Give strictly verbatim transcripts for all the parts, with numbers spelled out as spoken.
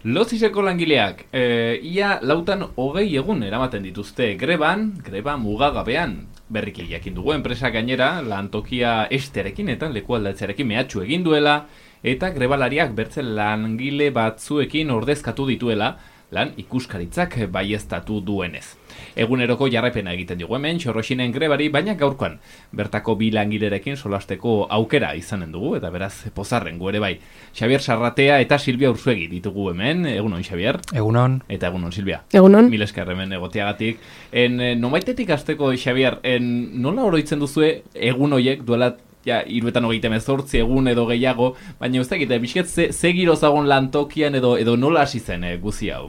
Loziseko langileak, e, ia lautan hogei egun eramaten dituzte greban, greba mugagabean. Berriki jakin dugu enpresa gainera, lantokia esterekin eta lekualdatzearekin mehatxu egin duela, eta grebalariak bertze langile batzuekin ordezkatu dituela, lan ikuskaritzak baieztatu duenez. Eguneroko jarraipena egiten dugu hemen, Xorroxinen grebari, baina gaurkoan bertako bi langilerekin solasteko aukera izanen dugu, eta beraz pozarren ere bai. Xabier Sarratea eta Silvia Urzuegi ditugu hemen. Egunon, Xabier. Egunon. Eta egunon, Silvia. Egunon. Mil esker hemen egoteagatik. En, nomaitetik hasteko, Xabier, en, nola oroitzen duzue egun hoiek duela ja, iruetan hogeita hemezortzi egun edo gehiago, baina ez dakit, bizket ze, ze giro zagon lantokian edo, edo nola hasi zen e, guzi hau?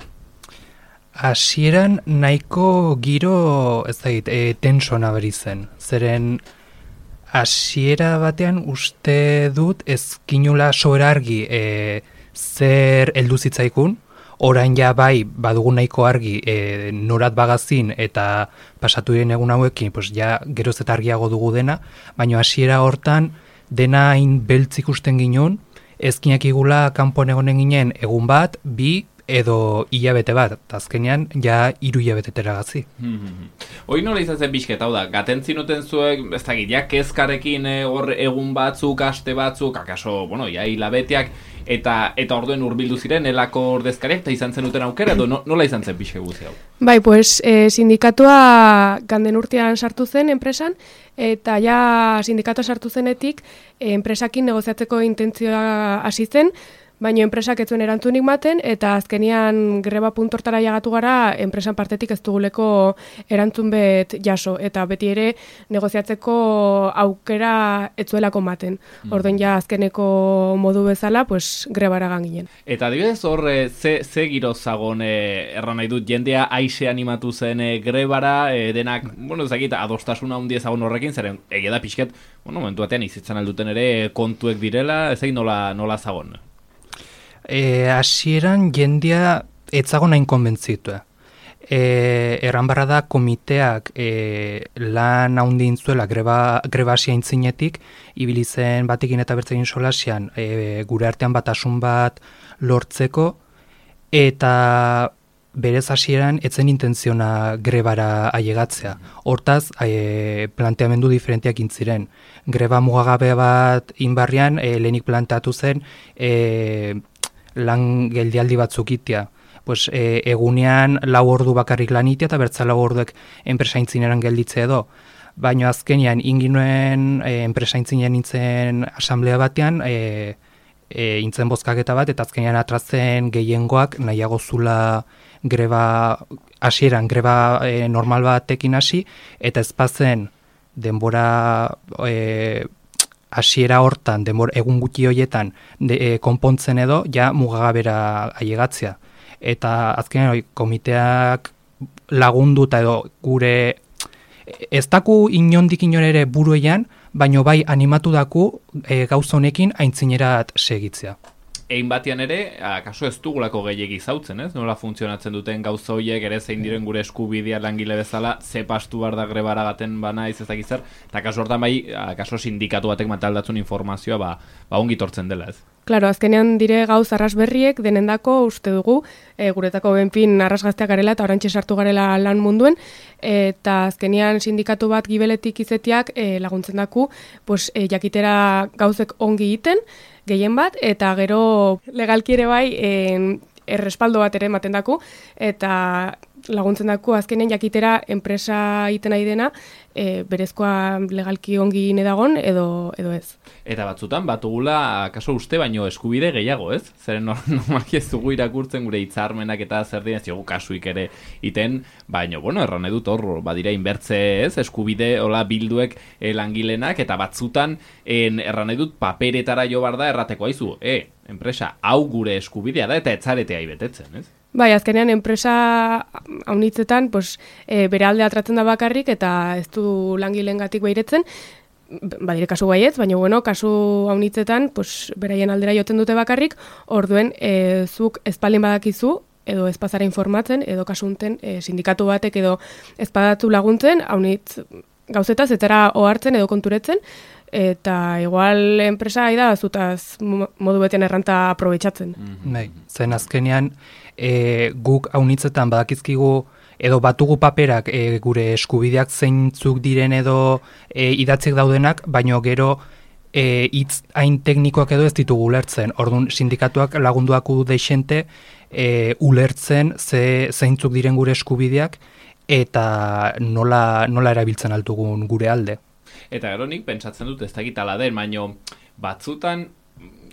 Hasieran nahiko giro, ez dakit, e, tenso nabari zen. Zeren hasiera batean uste dut ezkinula soera argi e, zer heldu zitzaikun, orain ja bai badugu nahiko argi e, norat bagazin eta pasatu diren egun hauekin, pues ja geroz eta argiago dugu dena, baina hasiera hortan dena hain beltz ikusten ginen, ezkinak igula kanpoan egonen ginen egun bat, bi edo hilabete bat, eta azkenean ja hiru hilabetetera gazi. Hoi nola izan zen bizket, hau da, gaten zinuten zuek, ez da ja kezkarekin hor egun batzuk, aste batzuk, akaso, bueno, ja hilabeteak, eta eta orduen hurbildu ziren elako ordezkariak, eta izan zenuten aukera, edo no, nola izan zen bizke guzi hau? Bai, pues, eh, sindikatua ganden urtean sartu zen enpresan, eta ja sindikatua sartu zenetik, eh, enpresakin negoziatzeko intentzioa hasi zen, baina enpresak ez zuen erantzunik maten, eta azkenian greba puntortara jagatu gara, enpresan partetik ez duguleko erantzun bet jaso, eta beti ere negoziatzeko aukera ez zuelako maten. Mm. Orduan ja azkeneko modu bezala, pues grebara ganginen. Eta adibidez hor, ze, ze giro zagon, e, erran nahi dut, jendea aise animatu zen e, grebara, e, denak, bueno, ezagit, adostasuna handia zagon horrekin, zeren egia da pixket, bueno, momentu batean izitzen alduten ere kontuek direla, ezagit nola, nola zagon. E, hasieran jendia etzago nahin konbentzitua. E, erran barra da komiteak e, lan haundin zuela greba, greba asia intzinetik, ibili zen batekin eta bertzekin solasian e, gure artean batasun bat lortzeko, eta berez hasieran etzen intentziona grebara ailegatzea. Hortaz, e, planteamendu diferenteak intziren. Greba mugagabe bat inbarrian, e, lehenik planteatu zen, e, lan geldialdi batzuk itea. Pues, e, egunean lau ordu bakarrik lan itea eta bertza lau orduek enpresaintzineran gelditzea edo. Baina azkenean inginuen e, enpresaintzinean nintzen asamblea batean, e, e, intzen bozkaketa bat, eta azkenean atratzen gehiengoak nahiago zula greba hasieran, greba e, normal batekin hasi, eta ezpazen denbora e, hasiera hortan, denbora egun gutxi horietan de, e, konpontzen edo, ja mugagabera ailegatzea. Eta azkenean oi, komiteak lagunduta edo gure ez daku inondik inon ere buruean, baino bai animatu daku e, gauza honekin aintzinerat segitzea. Egin batean ere, akaso ez dugulako gehiegi zautzen, ez? Nola funtzionatzen duten gauza horiek, ere zein diren gure eskubidea langile bezala, ze pastu behar da grebara gaten bana izazakizar, eta akaso hortan bai, akaso sindikatu batek mataldatzun informazioa, ba, ba ongi tortzen dela, ez? Claro, azkenean dire gauz arras berriek denendako uste dugu, e, guretako benpin arras gazteak garela eta orantxe sartu garela lan munduen, eta azkenean sindikatu bat gibeletik izetiak e, laguntzen daku, pues, e, jakitera gauzek ongi egiten, gehien bat, eta gero legalki ere bai en, errespaldo bat ere ematen daku, eta laguntzen daku azkenen jakitera enpresa egiten nahi dena, e, berezkoa legalki ongi nedagon edo, edo ez. Eta batzutan, batugula, kaso uste baino eskubide gehiago, ez? Zeren normalki ez dugu irakurtzen gure hitzarmenak eta zer dien, ziogu kasuik ere iten, baino, bueno, erran edut hor, badira inbertze ez, eskubide, hola bilduek e, langilenak, eta batzutan, en, erran edut paperetara jo bar da errateko aizu, e, enpresa, hau gure eskubidea da, eta etzaretea ibetetzen, ez? Bai, azkenean enpresa haunitzetan pues, e, bere alde atratzen da bakarrik eta ez du langileengatik beiretzen, badire kasu baietz, baina bueno, kasu haunitzetan pues, beraien aldera joten dute bakarrik, orduen e, zuk ezpaldin badakizu, edo ezpazara informatzen, edo kasunten e, sindikatu batek edo ezpadatu laguntzen, haunitz gauzetaz, etara ohartzen edo konturetzen, eta igual enpresa da zutaz modu beten erranta aprobetxatzen. Mm-hmm. Bai, zen azkenean e, guk haunitzetan badakizkigu edo batugu paperak e, gure eskubideak zeintzuk diren edo e, idatzik daudenak, baino gero e, hitz hain teknikoak edo ez ditugu ulertzen. Orduan sindikatuak lagunduaku deixente e, ulertzen ze, zeintzuk diren gure eskubideak eta nola, nola erabiltzen altugun gure alde. Eta gero nik pentsatzen dut ez dakit ala den, baino batzutan,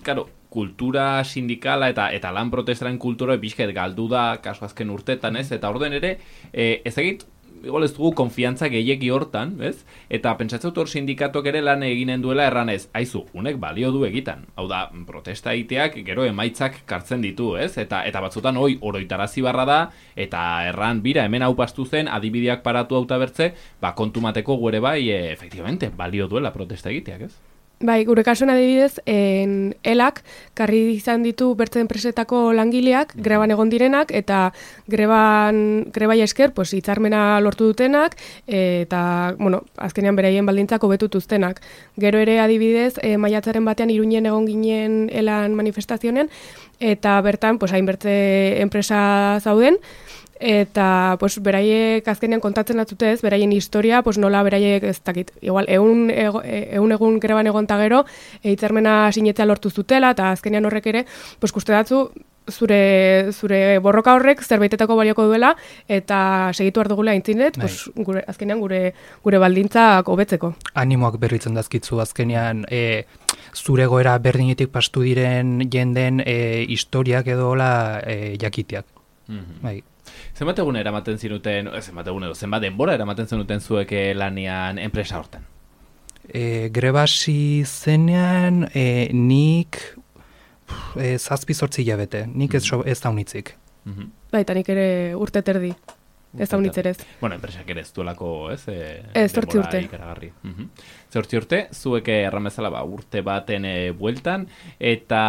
karo, kultura sindikala eta eta lan protestaren kultura bizket galdu da kasu azken urtetan, ez? Eta orden ere, e, ez dakit, igual ez dugu konfiantza gehiegi hortan, ez? Eta pentsatzen dut hor sindikatok ere lan eginen duela erranez, aizu, unek balio du egitan. Hau da, protesta egiteak gero emaitzak kartzen ditu, ez? Eta eta batzutan hoi oroitarazi barra da, eta erran bira hemen hau pastu zen, adibideak paratu hauta bertze, ba kontumateko gure bai, e, efektivamente, balio duela protesta egiteak, ez? Bai, gure kasuan adibidez, en elak karri izan ditu bertze enpresetako langileak, greban egon direnak, eta greban, grebai esker, pues, hitzarmena lortu dutenak, eta, bueno, azkenean beraien baldintzak hobetutuztenak. Gero ere adibidez, e, maiatzaren batean Iruñen egon ginen elan manifestazionen, eta bertan, pues, hainbertze enpresa zauden, eta pues beraiek azkenean kontatzen atzute ez, beraien historia, pues nola beraiek ez dakit, igual egun, ego, egun egun greban egon ta gero, hitzarmena sinetzea lortu zutela, eta azkenean horrek ere, pues kuste datzu, zure, zure borroka horrek zerbaitetako balioko duela, eta segitu behar dugula aintzinet, pues, gure, azkenean gure, gure baldintzak hobetzeko. Animoak berritzen dazkitzu azkenean, e, zure goera berdinetik pastu diren jenden e, historiak edola e, jakiteak. Mm-hmm. Bai. Zenbat egun eramaten zinuten, zenbat egun edo, zenbat denbora eramaten zinuten zuek lanian enpresa hortan? E, grebasi zenean e, nik e, zazpi zortzi hilabete, nik ez, mm-hmm. ez daunitzik. Mm-hmm. Baita nik ere urte terdi, ez daunitzerez. Bueno, enpresak ere ez duelako, ez? E, ez, zortzi urte. Ikaragarri. Mm-hmm. Zortzi urte, zuek erramezala ba, urte baten e, bueltan, eta,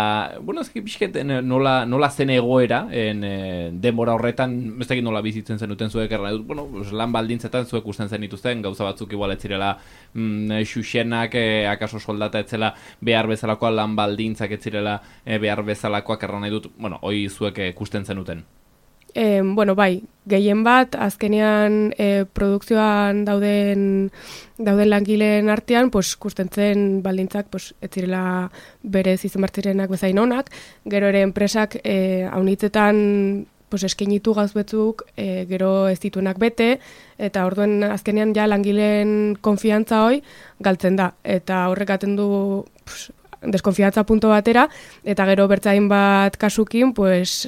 bueno, ez bizket nola, nola zen egoera, en, e, denbora horretan, ez dakit nola bizitzen zenuten zuek erran edut, bueno, lan baldintzetan zuek usten zen dituzten, gauza batzuk igual ez zirela mm, xuxenak, e, akaso soldata etzela behar bezalakoa, lan baldintzak ez zirela e, behar bezalakoak erran edut, bueno, hoi zuek ikusten zenuten. E, bueno, bai, gehien bat, azkenean e, produkzioan dauden, dauden langileen artean, pues, kustentzen baldintzak pues, ez zirela berez izan bartzirenak bezain onak, gero ere enpresak e, haunitzetan pues, eskenitu gauz betzuk, e, gero ez dituenak bete, eta orduen azkenean ja langileen konfiantza hoi galtzen da, eta horrekaten du pues, deskonfiantza punto batera, eta gero bertzain bat kasukin, pues,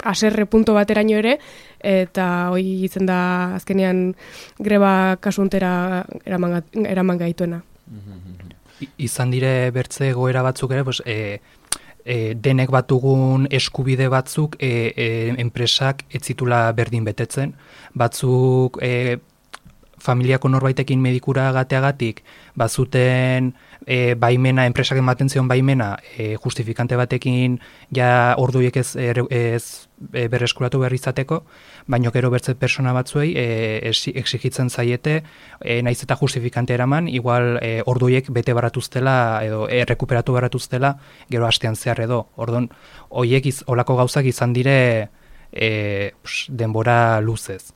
aserre punto bateraino ere, eta hoi izen da azkenean greba kasuntera eraman, eraman gaituena. I, izan dire bertze goera batzuk ere, pues, e, e, denek batugun eskubide batzuk e, e, enpresak ez zitula berdin betetzen. Batzuk e, familiako norbaitekin medikura gateagatik, bazuten e, baimena, enpresak ematen zion baimena, e, justifikante batekin ja orduiek ez, ez e, berreskuratu behar izateko, baino gero bertze persona batzuei e, exigitzen zaiete, e, naiz eta justifikante eraman, igual e, orduiek bete baratuztela edo e, rekuperatu baratuztela gero hastean zehar edo. Orduan, hoiek iz, olako gauzak izan dire e, pss, denbora luzez.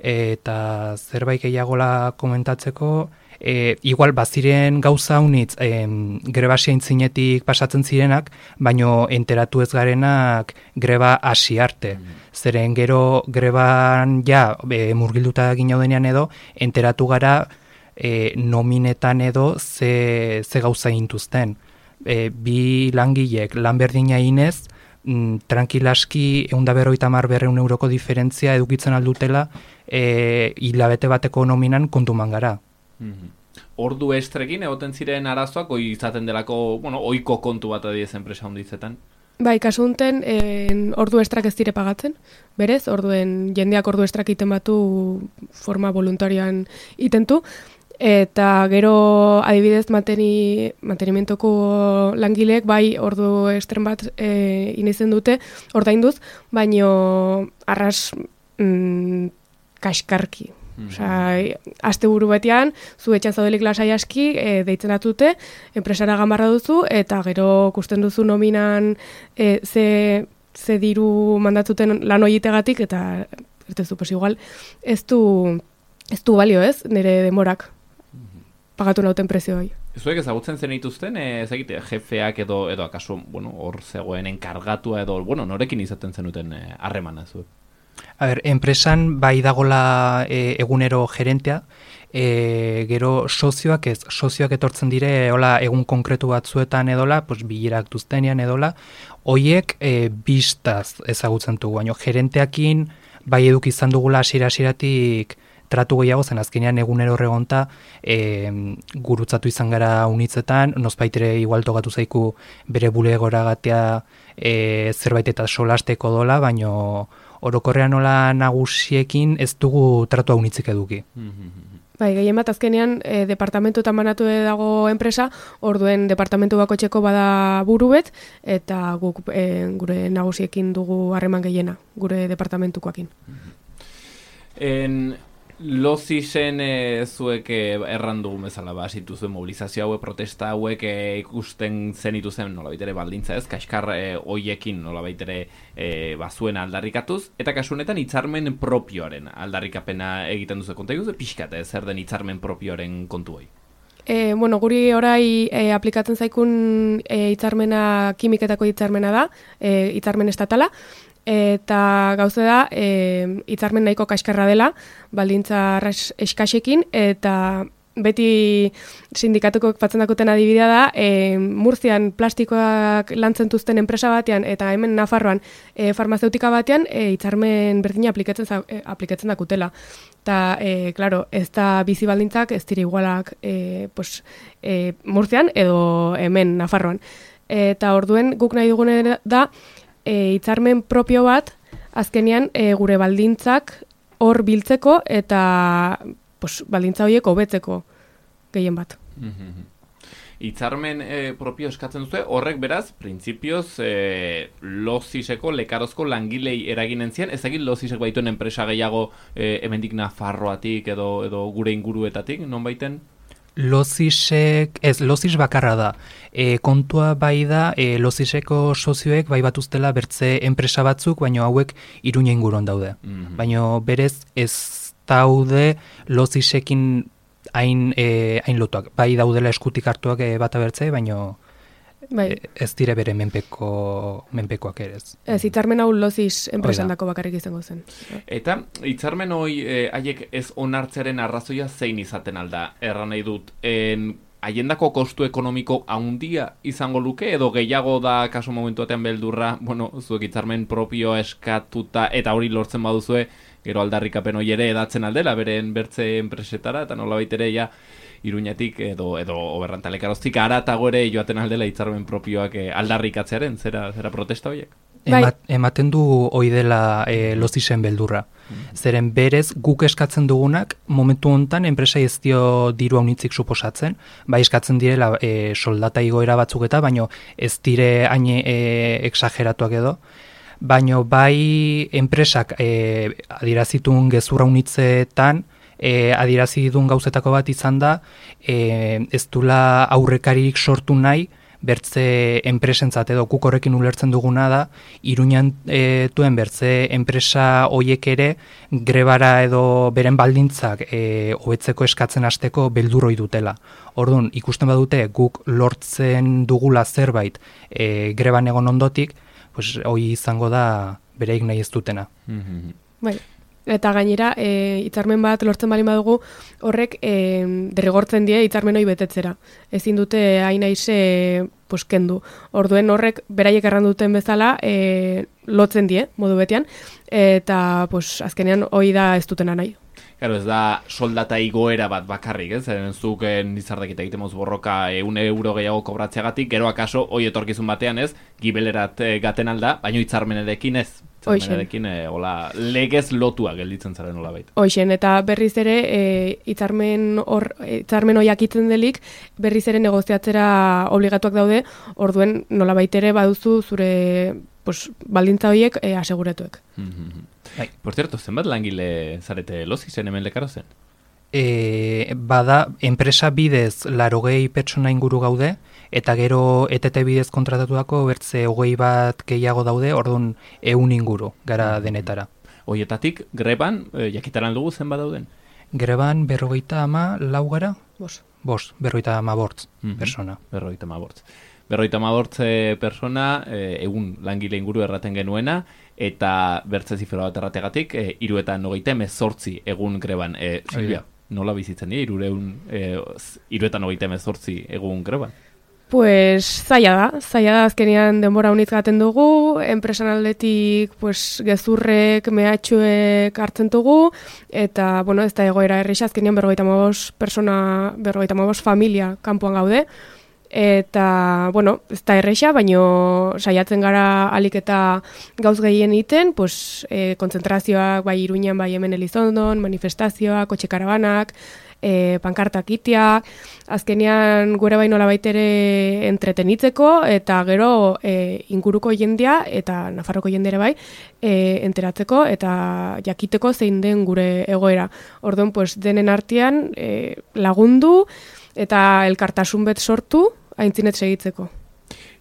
Eta zerbait gehiagola komentatzeko, e, igual baziren gauza unitz e, grebasia intzinetik pasatzen zirenak, baino enteratu ez garenak greba hasi arte. Mm. Zeren gero greban ja e, murgilduta ginaudenean edo, enteratu gara e, nominetan edo ze, ze gauza intuzten. E, bi langilek lan berdina inez, mm, tranquilaski eunda berroita mar berreun euroko diferentzia edukitzen aldutela e, hilabete bateko nominan kontuman gara. Mm-hmm. Ordu estrekin egoten ziren arazoak, oi izaten delako, bueno, oiko kontu bat adiez enpresa honditzetan? Bai, kasu honten, ordu estrak ez dire pagatzen, berez, orduen jendeak ordu estrak iten batu forma voluntarioan itentu, eta gero adibidez manteni, mantenimientoko langileek bai ordu estren bat e, inizen dute ordainduz, baino arras mm, kaskarki. Osea, asteburu batean, zu etxan zaudelik lasai aski, e, deitzen atute, enpresara gamarra duzu, eta gero kusten duzu nominan e, ze, ze diru mandatuten lan horietegatik, eta ertezu, pues igual, ez du, ez du balio ez, nire demorak pagatu nauten prezio hori. Zuek ezagutzen zen dituzten, ez egite, jefeak edo, edo akaso, bueno, hor zegoen enkargatua edo, bueno, norekin izaten zenuten harremana zuek? A ber, enpresan bai dagola e, egunero gerentea, e, gero sozioak ez, sozioak etortzen dire, hola, egun konkretu batzuetan edola, pues, bilerak duztenean edola, hoiek e, bistaz ezagutzen dugu, baina gerenteakin bai eduk izan dugula hasiera-hasieratik tratu gehiago zen, azkenean egunero horregonta e, gurutzatu izan gara unitzetan, nozbaitere igual togatu zaiku bere bulegora gatea e, zerbait eta solasteko dola, baino orokorrean nola nagusiekin ez dugu tratu unitzik eduki. Bai, gehien bat azkenean e, departamentu eta manatu dago enpresa, orduen departamentu bakotxeko bada burubet, eta guk e, gure nagusiekin dugu harreman gehiena, gure departamentukoakin. En Lozisen e, zuek e, errandu bezala ba, zituzuen mobilizazio hauek, protesta hauek e, ikusten zenitu zen nolabait ere baldintza ez, kaskar e, hoiekin nolabait ere e, bazuen aldarrikatuz, eta kasunetan hitzarmen propioaren aldarrikapena egiten duzu konta iguzu, pixkat ez, zer den hitzarmen propioaren kontu hoi? E, bueno, guri orai e, aplikatzen zaikun e, hitzarmena, kimiketako hitzarmena da, e, hitzarmen estatala, eta gauze da e, hitzarmen nahiko kaskarra dela, baldintza eskasekin, eta beti sindikatuko batzen dakuten adibidea da, e, Murtzian plastikoak lantzen duzten enpresa batean, eta hemen Nafarroan e, farmazeutika batean e, hitzarmen berdina aplikatzen, e, aplikatzen dakutela. Eta, e, claro, ez da bizi baldintzak ez dira igualak e, pues, e, Murtzian edo hemen Nafarroan. Eta orduen guk nahi dugun da, E, hitzarmen propio bat, azkenean e, gure baldintzak hor biltzeko eta pues, baldintza horiek hobetzeko gehien bat. Hitzarmen e, propio eskatzen duzue, horrek beraz, printzipioz, e, Loziseko, lekarozko langilei eraginen zian, ez egin Lozisek baituen enpresa gehiago e, hemendik Nafarroatik edo, edo gure inguruetatik, non baiten? Lozisek, ez, Lozis bakarra da. E, kontua bai da, e, Loziseko sozioek bai batuztela bertze enpresa batzuk, baina hauek Iruña inguruan daude. Mm-hmm. Baina berez ez daude Lozisekin hain, e, hain lotuak. Bai daudela eskutik hartuak e, bata bertze, baina bai. ez dire bere menpeko, menpekoak ere ez. Ez, hitzarmen hau Lozis enpresandako bakarrik izango zen. Eta hitzarmen hoi eh, haiek ez onartzearen arrazoia zein izaten alda, erran nahi dut, en, haiendako kostu ekonomiko handia izango luke, edo gehiago da kaso momentuatean beldurra, bueno, zuek hitzarmen propio eskatuta, eta hori lortzen baduzue, gero aldarrikapen hori ere edatzen aldela, beren bertze enpresetara, eta nolabait ere ja, Iruñatik edo edo oberrantalekarozik aratago ere joaten aldela hitzarmen propioak e, aldarrikatzearen, zera zera protesta horiek. Emat, ematen du hoi dela e, Lozisen beldurra. Mm. Zeren berez guk eskatzen dugunak momentu hontan enpresa ez dio diru haunitzik suposatzen, bai eskatzen direla e, soldata igoera batzuk eta baino ez dire hain e, exageratuak edo. Baino bai enpresak e, adierazitun gezurra haunitzetan E, adierazi duen gauzetako bat izan da, e, ez dula aurrekaririk sortu nahi, bertze enpresentzat edo guk horrekin ulertzen duguna da, Iruñan e, duen bertze enpresa hoiek ere grebara edo beren baldintzak e, hobetzeko eskatzen hasteko beldurroi dutela. Orduan, ikusten badute guk lortzen dugula zerbait e, greban egon ondotik, pues, hoi izango da bereik nahi ez dutena. Mm-hmm. Bai. Eta gainera, e, hitzarmen bat lortzen bali badugu, horrek e, derrigortzen die hitzarmen hori betetzera. Ezin dute hain aize pues, kendu. Orduen horrek beraiek erran duten bezala e, lotzen die, modu betean, eta pues, azkenean hori da ez dutena nahi. Claro, ez da soldata igoera bat bakarrik, ez? Zeren zuk nizardakita egiten moz borroka eun euro gehiago kobratzeagatik, gero akaso, hoi etorkizun batean ez, gibelerat e, gaten alda, baino hitzarmenerekin ez. Hitzarmenerekin e, hola, legez lotua gelditzen zaren hola baita. Hoixen, eta berriz ere e, hitzarmen hor, hitzarmen hoiak itzen delik, berriz ere negoziatzera obligatuak daude, orduen nola baitere baduzu zure pues, baldintza horiek e, aseguretuek. Bai. Por cierto, zenbat langile zarete lozi zen hemen lekaro zen? E, bada, enpresa bidez larogei pertsona inguru gaude, eta gero E T T bidez kontratatuako bertze hogei bat gehiago daude, orduan ehun inguru gara denetara. Hoietatik, greban, e, jakitaran dugu zenbat dauden? Greban berrogeita ama lau gara? Bos. Bos, berrogeita ama bortz Mhm. persona. Berrogeita ama bortz. Berrogeita ama bortz eh, persona, eh, egun langile inguru erraten genuena, eta bertze zifra bat errategatik, eh, iruetan hogeita emezortzi egun greban. Eh, Silvia, nola bizitzen dira, irureun, eh, iruetan hogeita emezortzi egun greban? Pues zaila da, zaila da azkenean denbora unitz gaten dugu, enpresan aldetik pues, gezurrek, mehatxuek hartzen dugu, eta bueno, ez da egoera erresa, azkenean berrogeita hamabost persona, berrogeita hamabost familia kanpoan gaude, eta bueno, ez da erresa, baino saiatzen gara alik eta gauz gehien egiten, pues, e, kontzentrazioak bai Iruñan, bai hemen Elizondon, manifestazioak, kotxe karabanak, E, pankartak itea, azkenean gure bai nolabait ere entretenitzeko, eta gero e, inguruko jendea, eta Nafarroko jendere bai, e, enteratzeko, eta jakiteko zein den gure egoera. Orduan, pues, denen artean e, lagundu, eta elkartasun bet sortu, aintzinet segitzeko.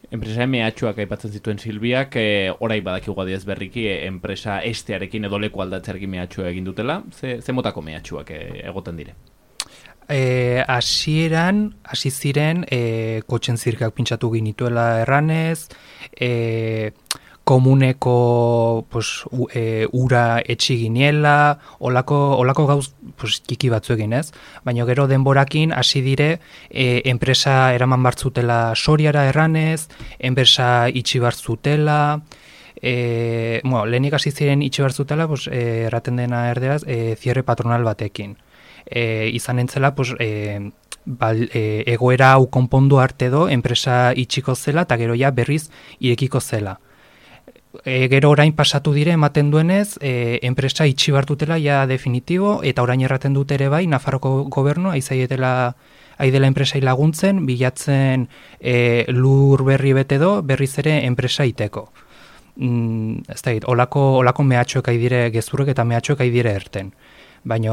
Enpresa mehatxuak aipatzen zituen Silbiak, e, orai badakigu adiez berriki, e, enpresa estearekin edo leku aldatzearekin mehatxua egin dutela, ze, ze motako mehatxuak e, egoten dire? E, hasieran, hasi ziren, e, kotxen zirkak pintxatu ginituela erranez, e, komuneko pues, u, e, ura etxi giniela, olako, olako gauz pues, kiki batzu egin ez, baina gero denborakin hasi dire e, enpresa eraman bartzutela Soriara erranez, enpresa itxi bartzutela, e, bueno, lehenik hasi ziren itxi bartzutela, pues, e, erraten dena erderaz, e, cierre patronal batekin. E, izan entzela, pues, e, bal, e, egoera hau konpondu arte do, enpresa itxiko zela, eta gero ja berriz irekiko zela. E, gero orain pasatu dire, ematen duenez, e, enpresa itxi bartutela ja definitibo, eta orain erraten dut ere bai, Nafarroko gobernu, aizaietela aidela enpresai laguntzen, bilatzen e, lur berri bete do, berriz ere enpresa iteko. Mm, ez da, olako, olako mehatxoek aidire gezurrek eta mehatxoek aidire erten. Baina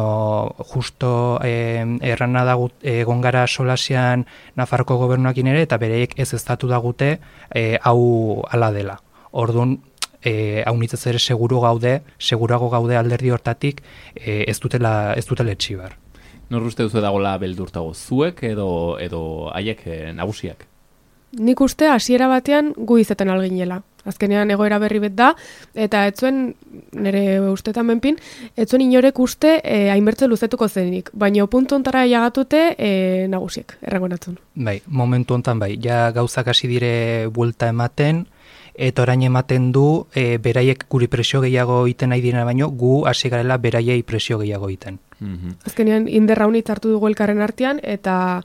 justo eh, errana dagut egon gara solasian Nafarroko gobernuakin ere, eta bereik ez eztatu dagute eh, hau ala dela. Orduan, eh, hau nitzez ere seguru gaude, segurago gaude alderdi hortatik eh, ez dutela, ez dutela etxibar. Nor uste duzu dagoela beldurtago, zuek edo, edo haiek eh, nagusiak? Nik uste hasiera batean gu izeten alginela. Azkenean egoera berri bet da, eta etzuen, nire ustetan benpin, etzuen inorek uste e, hainbertze luzetuko zenik, baina puntu ontara jagatute e, nagusiek, errango natzun. Bai, momentu hontan bai, ja gauzak hasi dire buelta ematen, eta orain ematen du e, beraiek guri presio gehiago egiten nahi direna, baino gu hasi garela beraiei presio gehiago egiten. Mm-hmm. Azkenean inderra unitz hartu dugu elkarren artean, eta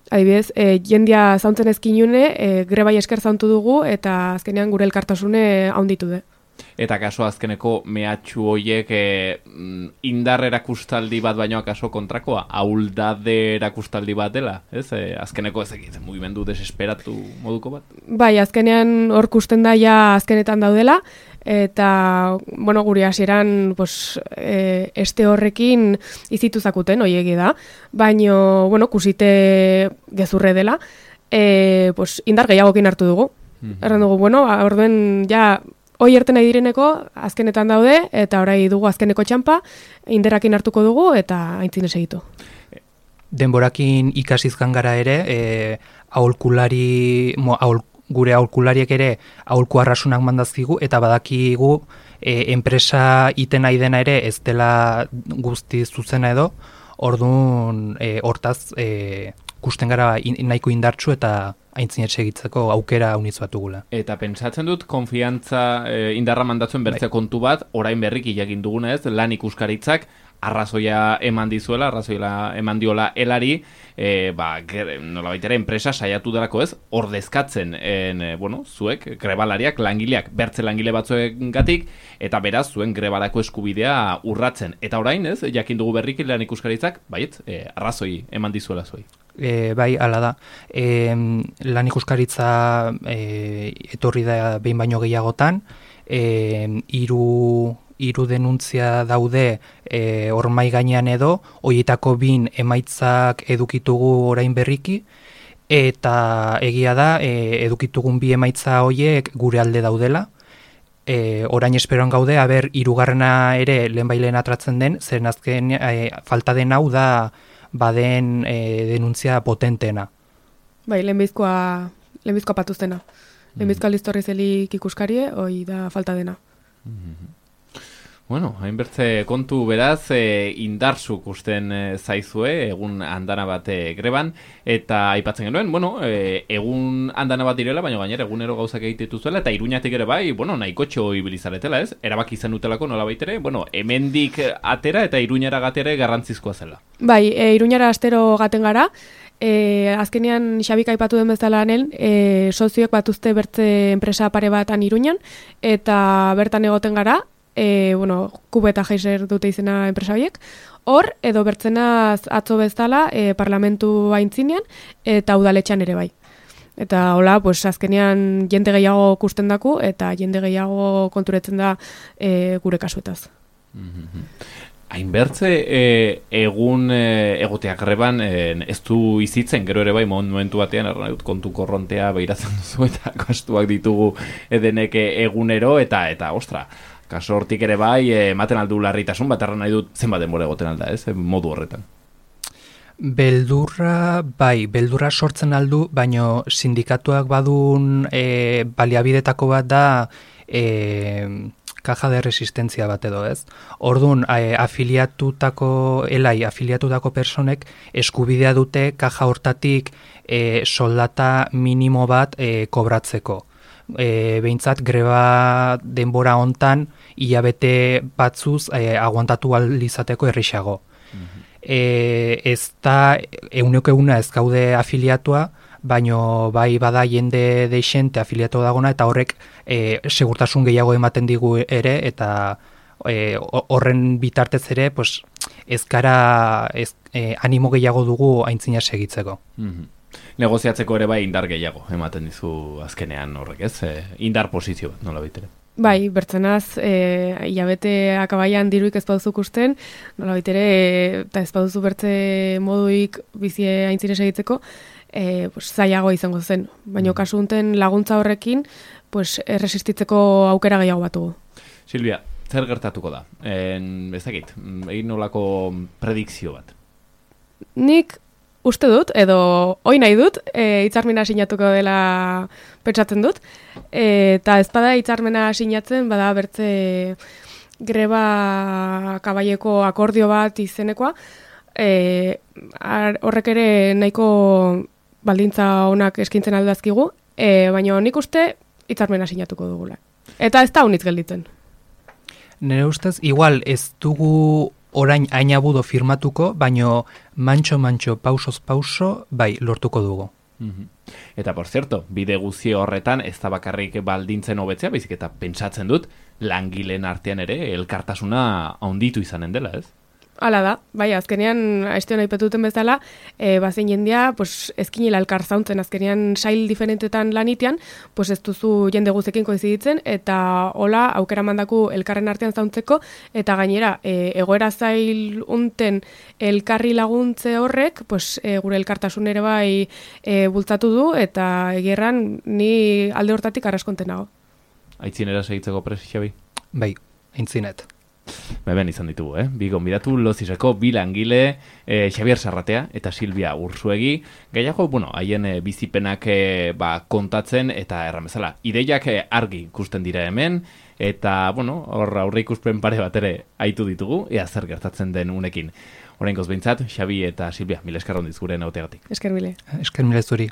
adibidez, e, jendia zauntzen ezkinune, e, grebai esker zauntu dugu, eta azkenean gure elkartasune haunditu de. Eta kaso azkeneko mehatxu hoiek e, indar erakustaldi bat baino akaso kontrakoa, ahuldade erakustaldi bat dela, ez? E, azkeneko ez egiten mugimendu desesperatu moduko bat? Bai, azkenean hor kusten da ja azkenetan daudela, eta, bueno, guri hasieran pues, e, este horrekin izitu zakuten, hoiegi da, baino, bueno, kusite gezurre dela, e, pues, indar gehiagokin hartu dugu. Mm-hmm. Erran dugu, bueno, orduen ja, hoi erten nahi direneko azkenetan daude, eta orai dugu azkeneko txampa, inderrakin hartuko dugu, eta aintzine segitu. Denborakin ikasizkan gara ere, e, aholkulari, mo, ahol, gure aholkulariek ere aholku arrasunak mandazkigu, eta badakigu e, enpresa iten nahi dena ere ez dela guzti zuzena edo, orduan e, hortaz e, kusten gara in, nahiko indartsu eta aintzinet segitzeko aukera unitz bat dugula. Eta pentsatzen dut, konfiantza e, indarra mandatzen bertze kontu bat, orain berriki jakin dugunez, lan ikuskaritzak arrazoia eman dizuela, arrazoia eman diola elari, e, ba, nola baitera enpresa saiatu delako ez, ordezkatzen, en, e, bueno, zuek, grebalariak, langileak, bertze langile batzuengatik, eta beraz, zuen grebalako eskubidea urratzen. Eta orain ez, jakin dugu berriki lan ikuskaritzak, baiet, e, arrazoi eman dizuela zuei. e, bai, ala da. E, lan ikuskaritza e, etorri da behin baino gehiagotan, e, hiru hiru denuntzia daude e, hor mai gainean edo, horietako bin emaitzak edukitugu orain berriki, eta egia da, e, edukitugun bi emaitza horiek gure alde daudela. E, orain esperoan gaude, aber hirugarrena ere lehenbailen atratzen den, zen azken e, falta den hau da baden e, denuntzia potentena. Bai, lehenbizkoa, lehenbizkoa patuztena. Lehenbizkoa listorri zelik ikuskarie, hoi da falta dena. Mm-hmm. Bueno, hainbertze kontu beraz, e, indarzuk usten e, zaizue, egun andana bat e, greban, eta aipatzen genuen, bueno, e, egun andana bat direla, baina gainera egunero gauzak egitetu zuela, eta Iruñatik ere bai, bueno, nahiko txo ibilizaretela, ez? Erabaki izan dutelako nola baitere, bueno, hemendik atera eta Iruñara gatere garrantzizkoa zela. Bai, e, Iruñara astero gaten gara, E, azkenean Xabik aipatu den bezala anel, e, sozioek batuzte bertze enpresa pare batan Iruñan, eta bertan egoten gara, e, bueno, Kube eta Heiser dute izena enpresa horiek, hor, edo bertzenaz atzo bezala e, parlamentu aintzinean, eta udaletxan ere bai. Eta hola, pues, azkenean jende gehiago kusten daku, eta jende gehiago konturetzen da e, gure kasuetaz. Mm-hmm. Hainbertze e, egun e, egoteak greban e, ez du izitzen, gero ere bai momentu batean erran dut kontu korrontea behiratzen duzu eta gastuak ditugu edenek egunero eta eta ostra, kaso hortik ere bai ematen aldu larritasun bat erran nahi dut zenbat denbora egoten alda, ez, modu horretan. Beldurra, bai, beldurra sortzen aldu, baino sindikatuak badun e, baliabidetako bat da e, kaja de resistentzia bat edo, ez? Orduan, e, afiliatutako, elai, afiliatutako personek eskubidea dute kaja hortatik e, soldata minimo bat e, kobratzeko. E, behintzat, greba denbora hontan, hilabete batzuz e, aguantatu alizateko errixago. Mm-hmm. E, ez da, euneko eguna ez gaude afiliatua, baino bai bada jende deixente afiliatu dagona, eta horrek e, segurtasun gehiago ematen digu ere, eta e, horren bitartez ere, pues, ez gara ez, e, animo gehiago dugu aintzina segitzeko. Mm-hmm. Negoziatzeko ere bai indar gehiago ematen dizu azkenean horrek, ez? E, indar posizio bat, nola baitere. Bai, bertzenaz, e, hilabete akabaian diruik ez bauzuk usten, nola baitere, eta ez bauzu bertze moduik bizie aintzine segitzeko, E, pues, zailago izango zen, baina kasu unten laguntza horrekin pues, erresistitzeko aukera gehiago batugu. Silvia, zer gertatuko da? En, ez dakit, egin nolako predikzio bat? Nik uste dut, edo hoi nahi dut, e, hitzarmena sinatuko dela pentsatzen dut, e, eta ez bada hitzarmena sinatzen, bada bertze greba kabaieko akordio bat izenekoa, e, ar, horrek ere nahiko baldintza honak eskintzen aldazkigu, e, baina nik uste hitzarmena sinatuko dugula. Eta ez da unitz gelditzen. Nire ustez, igual ez dugu orain ainabudo firmatuko, baino mantxo-mantxo, pausoz-pauso, bai, lortuko dugu. Mm-hmm. Eta, por cierto, bide guzi horretan ez da bakarrik baldintzen hobetzea, baizik eta pentsatzen dut, langileen artean ere elkartasuna handitu izanen dela, ez? Hala da, bai, azkenean, aiztion aipatuten bezala, e, bazen jendea, pues, ezkinela elkar zauntzen, azkenean sail diferentetan lanitean, pues ez duzu jende guzekin koiziditzen, eta hola, aukera mandaku elkarren artean zauntzeko, eta gainera, e, egoera zail unten elkarri laguntze horrek, pues, e, gure elkartasun ere bai e, bultzatu du, eta egerran ni alde hortatik arraskonten nago. Aitzinera segitzeko presi, Xabi? Bai, aintzinet. Beben izan ditugu, eh? Bi gonbidatu, lozizeko, bi langile, eh, Xabier Sarratea eta Silvia Ursuegi. Gehiago, bueno, haien eh, bizipenak eh, ba, kontatzen eta erramezala. Ideiak eh, argi ikusten dira hemen, eta, bueno, hor aurre ikuspen pare bat ere aitu ditugu, ea zer gertatzen den unekin. Oraingoz behintzat, Xabi eta Silvia, mila esker hondiz gure nautegatik. Esker mile. Esker mile zuri.